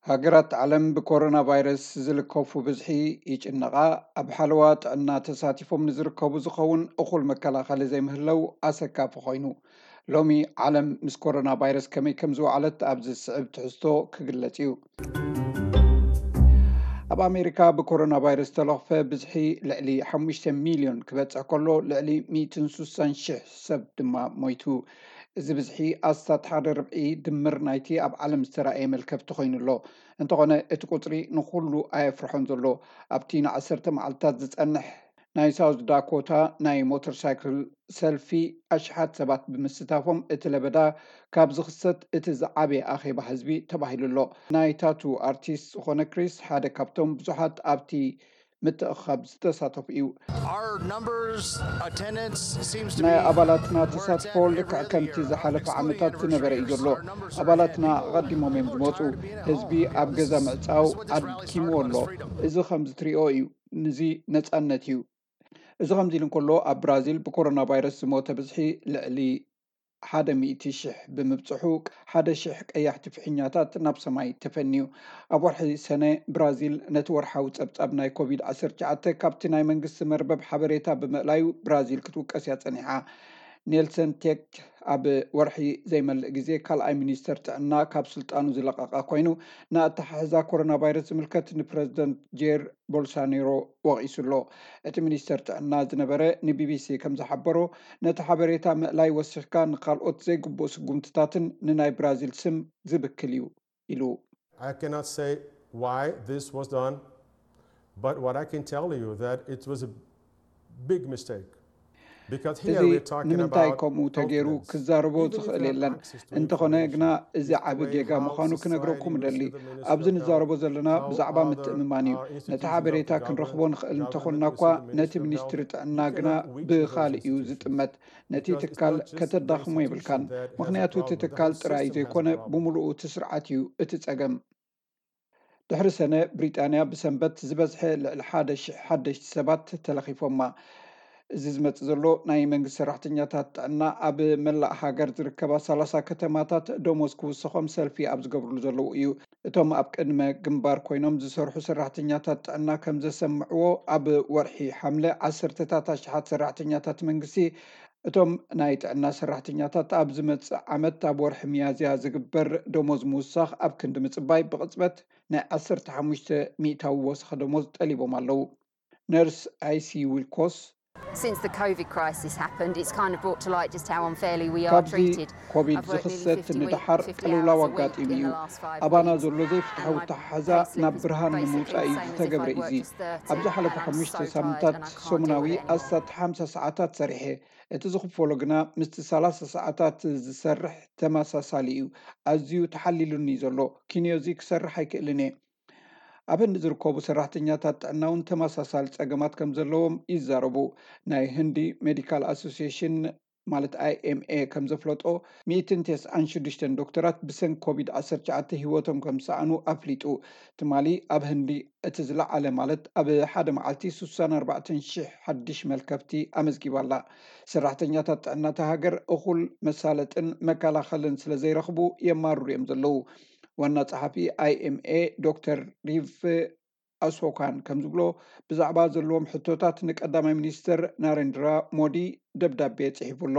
ሃገራት ዓለም ብኮሮና ቫይረስ ዝልከፉ ብዝሒ ይጭነቓ፣ ኣብ ሓለዋ ጥዕና ተሳቲፎም ንዝርከቡ ዝኸውን እኹል መከላኸሊ ዘይምህለው ኣሰካፊ ኮይኑ። ሎሚ ዓለም ምስ ኮሮና ቫይረስ ከመይ ከም ዝወዓለት ኣብዚ ዝስዕብ ትሕዝቶ ክግለጽ እዩ። ኣብ ኣሜሪካ ብኮሮና ቫይረስ ዝተለኽፈ ብዝሒ ልዕሊ ሓሙሽተ ሚልዮን ክበጽሕ ከሎ፣ ልዕሊ ሚእትን ስሳን ሽሕ ሰብ ድማ ሞይቱ። እዚ ብዝሒ ኣስታት ሓደ ርብዒ ድምር ናይቲ ኣብ ዓለም ዝተራእየ መልከፍቲ ኮይኑ ኣሎ። እንተኾነ እቲ ቁጽሪ ንኹሉ ኣየፍርሖን ዘሎ። ኣብቲ ንዓሰርተ መዓልታት ዝጸንሕ ናይ ሳውዝ ዳኮታ ናይ ሞተር ሳይክል ሰልፊ ኣሽሓት ሰባት ብምስታፎም እቲ ለበዳ ካብ ዝኽሰት እቲ ዝዓበየ ኣኼባ ህዝቢ ተባሂሉ ኣሎ። ናይ ታቱ ኣርቲስት ዝኾነ ክሪስ ሓደ ካብቶም ብዙሓት ኣብቲ ምትእኻብ ዝተሳተፉ እዩ። ናይ ኣባላትና ተሳትፎ ልክዕ ከምቲ ዝሓለፈ ዓመታት ዝነበረ እዩ ዘሎ። ኣባላትና ኣቐዲሞም እዮም ዝመፁ። ህዝቢ ኣብ ገዛ ምዕፃው ኣድኪምዎ ኣሎ። እዚ ከምዚ ትሪኦ እዩ። ንዚ ነፃነት እዩ። እዚ ከምዚ ኢሉ እንከሎ፣ ኣብ ብራዚል ብኮሮና ቫይረስ ዝሞተ ብዝሒ ልዕሊ ሓደ ሚእቲ ሽሕ ብምብፅሑ፣ ሓደ ሽሕ ቀያሕቲ ፍሕኛታት ናብ ሰማይ ተፈንዩ። ኣብ ወርሒ ሰነ ብራዚል ነቲ ወርሓዊ ጸብጻብ ናይ ኮቪድ ዓሰርተ ትሽዓተ ካብቲ ናይ መንግስቲ መርበብ ሓበሬታ ብምእላዩ ብራዚል ክትውቀስ እያ ጸኒሓ። ኔልሰን ቴክ ኣብ ወርሒ ዘይመልእ ግዜ ካልኣይ ሚኒስተር ጥዕና ካብ ስልጣኑ ዝለቐቐ ኮይኑ፣ ንኣተሓሕዛ ኮሮና ቫይረስ ዝምልከት ንፕረዚደንት ጄር ቦልሳኔሮ ወቒሱ ኣሎ። እቲ ሚኒስተር ጥዕና ዝነበረ ንቢቢሲ ከም ዝሓበሮ፣ ነቲ ሓበሬታ ምእላይ ወሲኽካ ንኻልኦት ዘይግቡእ ስጉምትታትን ንናይ ብራዚል ስም ዝብክል እዩ ኢሉ። I cannot say why this was done, but what I can tell you that it was a big mistake. Because እዚ here we're talking ንምንታይ about ከምኡ ተገይሩ confidence. ክዛረቦ Even if you ዝኽእል have የለን። access to እንተኾነ information, ግና እዚ it's the ዓቢ way ጌጋ how ምዃኑ society ክነግረኩም used እደሊ። to administer ኣብዚ the health, ንዛረቦ ዘለና how ብዛዕባ other, ምትእምማን እዩ። uh, ነቲ institutions of ሓበሬታ the ክንረኽቦ government, ንኽእል እንተኾንና government እኳ is the ነቲ Ministry of ሚኒስትሪ Health, ጥዕና you ግና cannot weaken ብኻልእ those እዩ institutions ዝጥመት። ነቲ because ትካል not just the ከተዳኽሞ institution የብልካን። that has a ምኽንያቱ እቲ problem, the ትካል whole ጥራይ system has a ዘይኮነ problem. ብምሉኡ እቲ ስርዓት እዩ እቲ ጸገም። ድሕሪ ሰነ ብሪጣንያ ብሰንበት ዝበዝሐ ልዕሊ ሓደ ሽሕ ሓደሽቲ ሰባት ተለኺፎማ። እዚ ዝመጽእ ዘሎ ናይ መንግስቲ ሰራሕተኛታት ጥዕና ኣብ መላእ ሃገር ዝርከባ ሰላሳ ከተማታት ደሞዝ ክውሰኾም ሰልፊ ኣብ ዝገብርሉ ዘለዉ እዩ። እቶም ኣብ ቅድመ ግንባር ኮይኖም ዝሰርሑ ሰራሕተኛታት ጥዕና ከም ዘሰምዕዎ፣ ኣብ ወርሒ ሓምለ ዓሰርተታት ኣሽሓት ሰራሕተኛታት መንግስቲ እቶም ናይ ጥዕና ሰራሕተኛታት ኣብ ዝመጽእ ዓመት ኣብ ወርሒ ሚያዝያ ዝግበር ደሞዝ ምውሳኽ ኣብ ክንዲ ምጽባይ ብቕጽበት ናይ ዓሰርተ ሓሙሽተ ሚእታዊ ወሰኸ ደሞዝ ጠሊቦም ኣለዉ። ነርስ ኣይሲ ዊልኮስ Since the COVID crisis happened, it's kind of brought to light just how unfairly we are ካብዚ treated. ኮቪድ I've worked nearly ዝኽሰት fifty week- ንደሓር fifty ቅልውላው hours a week ኣጋጢሙ in the እዩ። last five ኣባና weeks, ዘሎ and ዘይፍትሐዊ my ኣተሓሕዛ pay slip ናብ is ብርሃን basically ንምውጻእ the እዩ same as if ዝተገብረ I'd እዩ። worked just thirty, ኣብ ዝሓለፉ and I'm ሓሙሽተ so tired ሳምንታት and I can't deal ሰሙናዊ with it anymore. ኣስታት ሓምሳ ሰዓታት ሰሪሐ። እቲ ዝኽፈሎ ግና ምስቲ ሰላሳ ሰዓታት ዝሰርሕ ተመሳሳሊ እዩ። ኣዝዩ ተሓሊሉኒ ዘሎ። ኪንዮዚ ክሰርሕ ኣይክእልን እየ። ኣብ ህንዲ ዝርከቡ ሰራሕተኛታት ጥዕና እውን ተመሳሳሊ ጸገማት ከም ዘለዎም ይዛረቡ። ናይ ህንዲ ሜዲካል ኣሶሲሽን ማለት ኣይኤምኤ ከም ዘፍለጦ፣ ሚእትን ተስዓን ሽዱሽተን ዶክተራት ብሰንኪ ኮቪድ ዓሰርተ ትሽዓተ ህይወቶም ከም ዝሰኣኑ ኣፍሊጡ። ትማሊ ኣብ ህንዲ እቲ ዝለዓለ ማለት ኣብ ሓደ መዓልቲ ስሳን ኣርባዕተን ሽሕ ሓድሽ መልከፍቲ ኣመዝጊባ ኣላ። ሰራሕተኛታት ጥዕና እታ ሃገር እኹል መሳለጥን መከላኸልን ስለ ዘይረኽቡ የማርሩ እዮም ዘለዉ። ዋና ጸሓፊ ኣይኤምኤ ዶክተር ሪፍ ኣሶካን ከም ዝብሎ፣ ብዛዕባ ዘለዎም ሕቶታት ንቀዳማይ ሚኒስትር ናሬንድራ ሞዲ ደብዳቤ ጽሒፉ ኣሎ።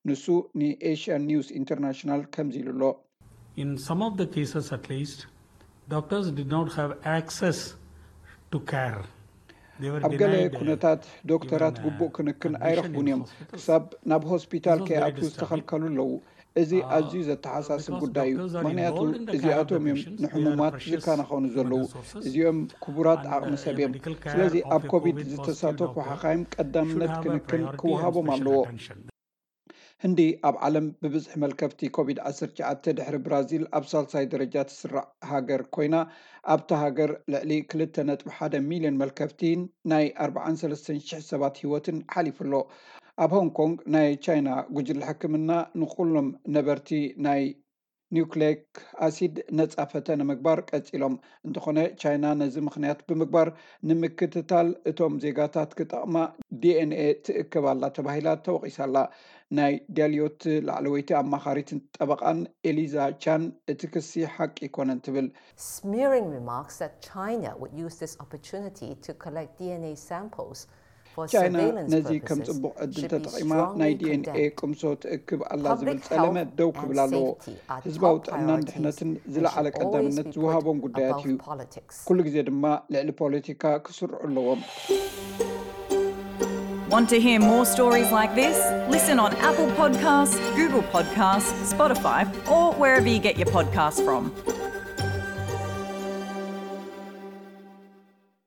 ንሱ ንኤሽያን ኒውስ ኢንተርናሽናል ከምዚ ኢሉ ኣሎ። In some of the cases, at least, doctors did not have access to care. They were ኣብ ገለ denied, uh, ኩነታት ዶክተራት even, uh, ግቡእ ክንክን admission ኣይረኽቡን in እዮም። hospitals. ክሳብ ናብ ሆስፒታል This was ከይኣትዉ very disturbing. ዝተኸልከሉ ኣለዉ። እዚ Uh, ኣዝዩ ዘተሓሳስብ because ጉዳይ እዩ። doctors are ምኽንያቱ involved in the care እዚኣቶም of the እዮም patients, they are the ንሕሙማት precious ዝከናኸኑ human ዘለዉ። resources, እዚኦም ክቡራት and, ዓቕሚ uh, ሰብ a እዮም። medical care ስለዚ of ኣብ a ኮቪድ COVID positive ዝተሳተፉ doctor ሓኻይም should ቀዳምነት have a ክንክን priority and ክወሃቦም special ኣለዎ። attention. ህንዲ ኣብ ዓለም ብብዝሒ መልከፍቲ ኮቪድ ዓሰርተ ትሽዓተ ድሕሪ ብራዚል ኣብ ሳልሳይ ደረጃ ትስራዕ ሃገር ኮይና፣ ኣብታ ሃገር ልዕሊ ክልተ ነጥቢ ሓደ ሚልዮን መልከፍቲን ናይ ኣርባዓን ሰለስተን ሽሕ ሰባት ህይወትን ሓሊፉ ኣሎ። ኣብ ሆንግ ኮንግ ናይ ቻይና ጉጅለ ሕክምና ንኹሎም ነበርቲ ናይ ኒውክሌክ ኣሲድ ነፃ ፈተነ ምግባር ቀፂሎም። እንተኾነ ቻይና ነዚ ምኽንያት ብምግባር ንምክትታል እቶም ዜጋታት ክጠቕማ ዲኤንኤ ትእክብ ኣላ ተባሂላ ተወቒሳ ኣላ። ናይ ዳልዮት ላዕለወይቲ ኣማኻሪትን ጠበቓን ኤሊዛ ቻን እቲ ክሲ ሓቂ ኣይኮነን ትብል። Smearing remarks that China would use this opportunity to collect D N A samples for ቻይና surveillance ነዚ ከም purposes ጽቡቕ ዕድል should be ተጠቒማ ናይ strongly ዲኤንኤ condemned. ቅምሶ ትእክብ ኣላ ዝብል Public ጸለመ health ደው and ክብል ኣለዎ። safety are ህዝባዊ top ጥዕናን priorities ድሕነትን and ዝለዓለ should always ቀዳምነት be ዝወሃቦም put ጉዳያት እዩ። Above politics. ኩሉ ግዜ ድማ ልዕሊ ፖለቲካ ክስርዑ ኣለዎም። Want to hear more stories like this? Listen on Apple Podcasts, Google Podcasts, Spotify, or wherever you get your podcasts from.